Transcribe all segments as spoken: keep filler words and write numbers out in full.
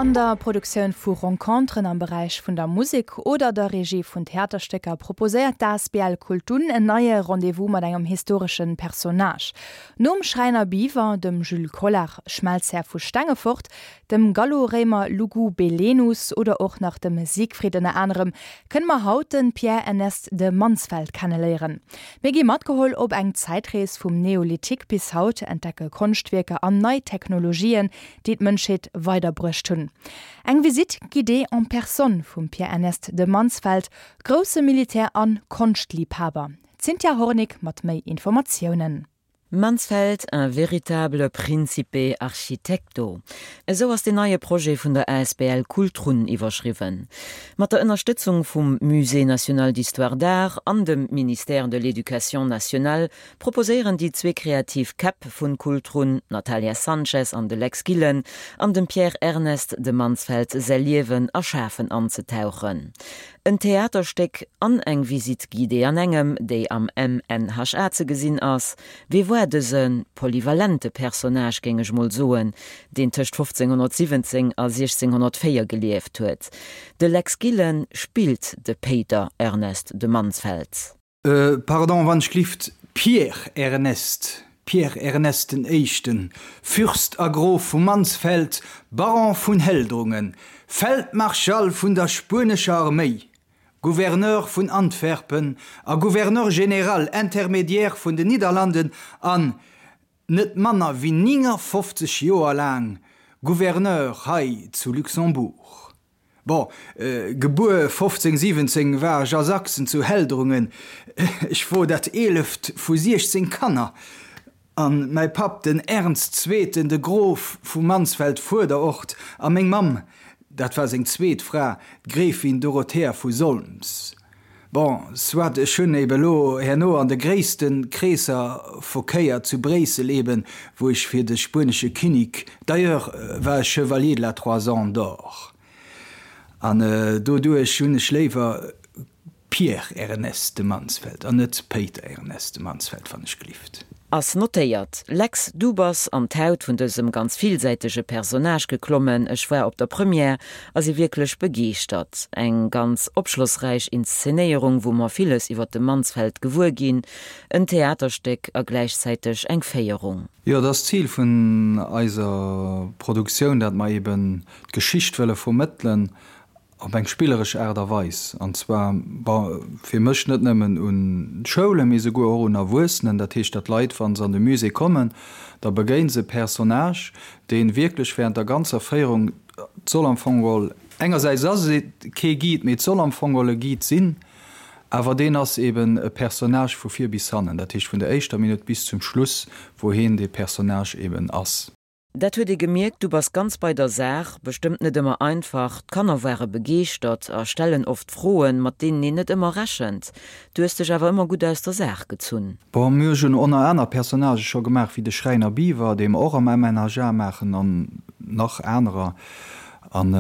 An der Produktioun vu Renconteren am Beräich vun der Musek oder der Regie vun Theaterstécker proposéiert d'A S B L Kultun en neie Rendez-vous mat engem historesche Personnage. Nom Schräiner Biwer, dem Jules Collart, Schmelzhär vu Stengefort, dem Gallo-Réimer Lugu Belenus oder och nach dem Siegfried ënner anerem, kënne mer haut de Pierre Ernest de Mansfeld kenneléieren. Mir gi matgeholl op eng Zäitrees vum Neolithique bis haut, entdecke Konschtwierker an nei Technologien, déi d'Mënschheet weiderbruecht hunn. Eng Visite guidée en personne vum Pierre Ernest de Mansfeld, grousse Militär an Konschtliebhaber. Cynthia Hornick mat méi Informatiounen. Mansfeld, un véritable principe architecto. Esou ass den neie Projet vun der A S B L Kultrun iwwerschriwwen. Mat der Ënnerstëtzung vum Musée national d'histoire d'art an dem Ministère de l'Éducation nationale proposéieren déi zwee kreativ Käpp vun Kultrun, Natalia Sanchez an de Lex Gillen, an dem Pierre Ernest de Mansfeld säi Liewen a Schafen anzetauchen. En Theaterstéck an eng Visite guidée an engem, déi am M N H A ze gesinn ass, wie war dëse polyvalente Personnage, géing ech mol soen, deen tëscht fofzénghonnertsiwwenzéng a siechzénghonnertvéier gelieft huet. De Lex Gillen spillt de Péiter Ernest de Mansfeld. Äh, pardon, wann ech gelift, Pierre Ernest. Pierre Ernest den Éischten, Fürst a Grof vu Mansfeld, Baron vun Heldrungen, Feldmarschall vun der spuenescher Arméi, Gouverneur vun Antwerpen a Gouverneur général intermédiaire vun den Nidderlanden an net manner wéi néngafofzeg Joer laang Gouverneur hei zu Luxembourg. Bon, äh, gebuer fofzéng siwwenzéng war ech a Sachsen zu Heldrungen. Ech wor dat eeleft vu siechzéng Kanner. An mäi Papp, den Ernst Zweeten, de Grof vu Mansfeld-Fuerderort, a meng Mamm, dat war seng zweet Fra, d'Gräfin Dorothea vu Solms. Bon, soit, ech hunn eben elo herno an de gréisste Kreesser verkéiert zu Bréissel eben, wou ech fir de spuenesche Kinnek, d'ailleurs war ech Chevalier de la Toison d'Or. An doduerch hunn ech léiwer Pierre Ernest de Mansfeld an net Péiter Ernest de Mansfeld, wann ech gelift. Ass notéiert. Lex, du bass an d'Haut vun dësem ganz villsäitege Personnage geklommen. Ech war op der Première a si wierklech begeeschtert. Eng ganz opschlossräich Inszenéierung, wou mer villes iwwer de Mansfeld gewuer ginn, en Theaterstéck a gläichzäiteg eng Féierung. Jo, dat ass d'Zil vun eiser Produktioun, dat mer eben d'Geschicht wëlle vermëttelen op eng spilleresch Aart a Weis, an zwar fir mech net nëmmen un Schoulen, mee souguer och un Erwuessenen. Dat heescht, datt Leit, wa se an de Musée kommen, da begéine se e Personnage, dee wierklech wärend der ganzer Féierung, et soll am Fong geholl, engersäits ass et kee Guide, mee et soll am Fong geholl e Guide sinn, awer deen ass eben e Personnage vu vir bis hannen, dat heescht vun der éischter Minutt bis zum Schluss, wou hien dee Personnage eben ass. Dat huet ee gemierkt, du bass ganz bei der Saach, bestëmmt net ëmmer einfach. D'Kanner ware begeeschtert a stellen oft Froen, mat deenen een net ëmmer rechent. Du hues dech awer ëmmer gutt aus der Saach gezunn. Bon, mir hunn ënner aner Personnagë scho gemaach wéi de Schräiner Biwer, dee mer och am M N H A maachen, an nach anerer. An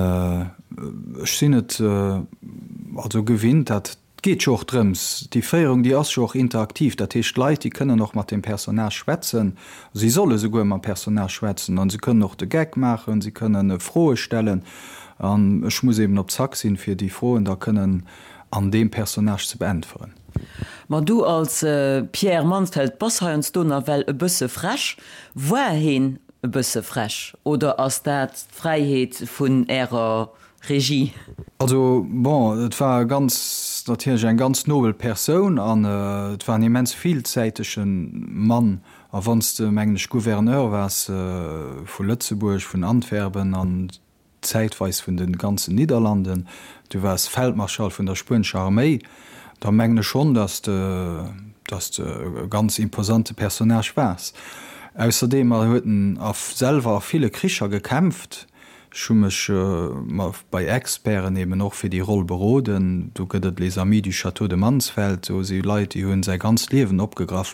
ech sinn et also gewinnt, dat geet jo och drëms, déi Féierung, déi ass jo och interaktiv, dat heescht d'Leit, déi kënnen och mat dem Personnage schwätzen, si solle souguer mam Personnage schwätzen an se kënnen och de Geck maachen, si kënnen Froe stellen an ech muss eben op Zack sinn, fir déi Froen da kënnen an deem Personnage ze beäntweren. Ma du als Pierre Mansfeld bass heiansdo nawell e bësse frech. War hien e bësse frech oder ass dat d'Fräiheet vun Ärer Regie? Also bon, et war ganz natierlech eng ganz nobel Persoun an et war en immens villsäitege Mann. A wann s de, mengen ech, Gouverneur waars vu Lëtzebuerg, vun Antwerpen an zäitweis vun de ganzen Nidderlanden, du waars Feldmarschall vun der spuenescher Arméi, da mengen ech schonn, datt de, datt de e ganz imposante Personnage waars. Ausserdeem huet en a selwer a ville Kricher gekämpft. Ech hu mech bei Experten eben och fir déi Roll beroden. Do gëtt et Les Amis du Château de Mansfeld, do si Leit, déi hunn säi ganzt Liewen opgegraff.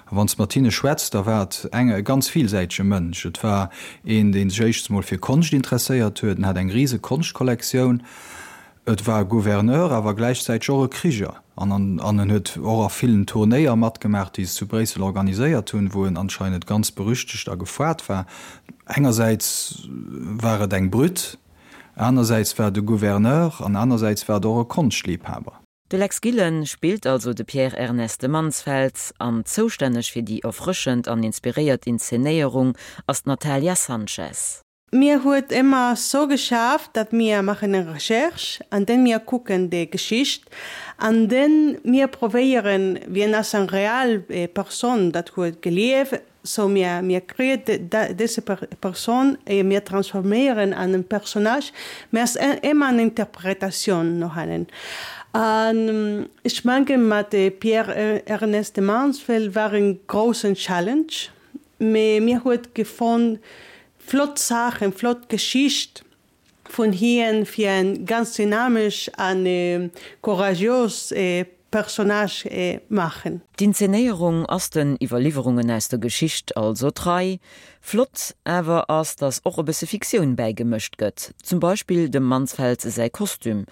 A wann s de mat hinne schwätz, da war et eng e ganz villsäitege Mënsch. Et war een, dee sech éischtens mol fir Konscht interesséiert huet, en hat eng rise Konschtkollektioun. Et war e Gouverneur, awer gläichzäiteg och e Kriger. An an en huet och a villen Turnéier matgemaach, déi se zu Bréissel organiséiert hunn, wou en anscheinend ganz berüchtegt a gefoart war. Engersäits war et eng Brütt, Anersäits war et e Gouverneur an anersäits war et och e Konschtliebhaber. De Lex Gillen spillt also de Pierre Ernest de Mansfeld an zoustänneg fir déi erfrëschend an inspiréiert Inszenéierung ass d'Natalia Sanchez. Mir huet ëmmer sou geschafft, datt mir maachen eng Recherche an dann mir kucken déi Geschicht an dann mir probéieren, wien ass eng real Persoun dat huet gelieft, sou mir mir kréien dëse Persoun a mir transforméieren an en Personnage, mä ass ëmmer eng Interpretatioun no hannen. An ech mengen mat Pierre Ernest de Mansfeld war en groussen Challenge, mä mir huet gefonnt, flott Saachen, flott Geschicht vun hien fir en ganz dynamesch an courageous Personnage maachen. D'Inzenéierung ass den Iwwerliwwerungen aus der Geschicht also trei. Flott awer ass, datt och e bësse Fiktioun bäigemëscht gëtt, zum Beispill dem Mansfeld säi Kostüm.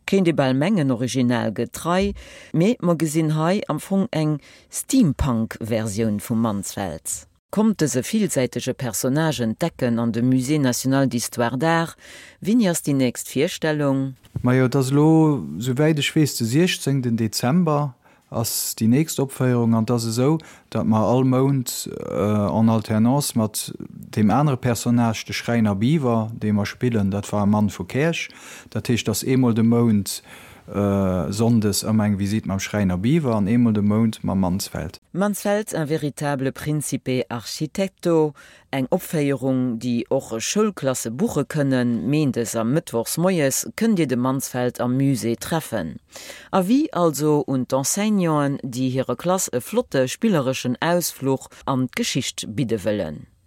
Kéint ee bal mengen originalgetrei, mee mer gesinn hei am Fong eng Steampunk-Versioun vum Mansfeld. Kommt dëse villsäitege Personnage entdecken an de Musée national d'histoire d'art. Wéini ass déi nächst Virstellung? Majo, et ass elo, souwäit ech weess, de siechzéngten Dezember ass déi nächst Opféierung. An et ass esou, datt mer all Mount en alternance mat deem anere Personnage, de Schräiner Biwer, dee mer spillen, dat war e Mann vu Käerch, dat heescht, et ass eemol de Mount Sonndes ëmmer eng Visite mam Schräiner Biwer an eemol de Mount mam Mansfeld. Mansfeld, un véritable principe architetto, eng Opféierung, déi och Schoulklasse buche kënnen. Méindes a mëttwochs moies kënnt Dir de Mansfeld am Musée treffen. Avis also un d'Enseignanten, déi hirer Klass e flotte spillereschen Ausfluch an d'Geschicht bidde wëllen.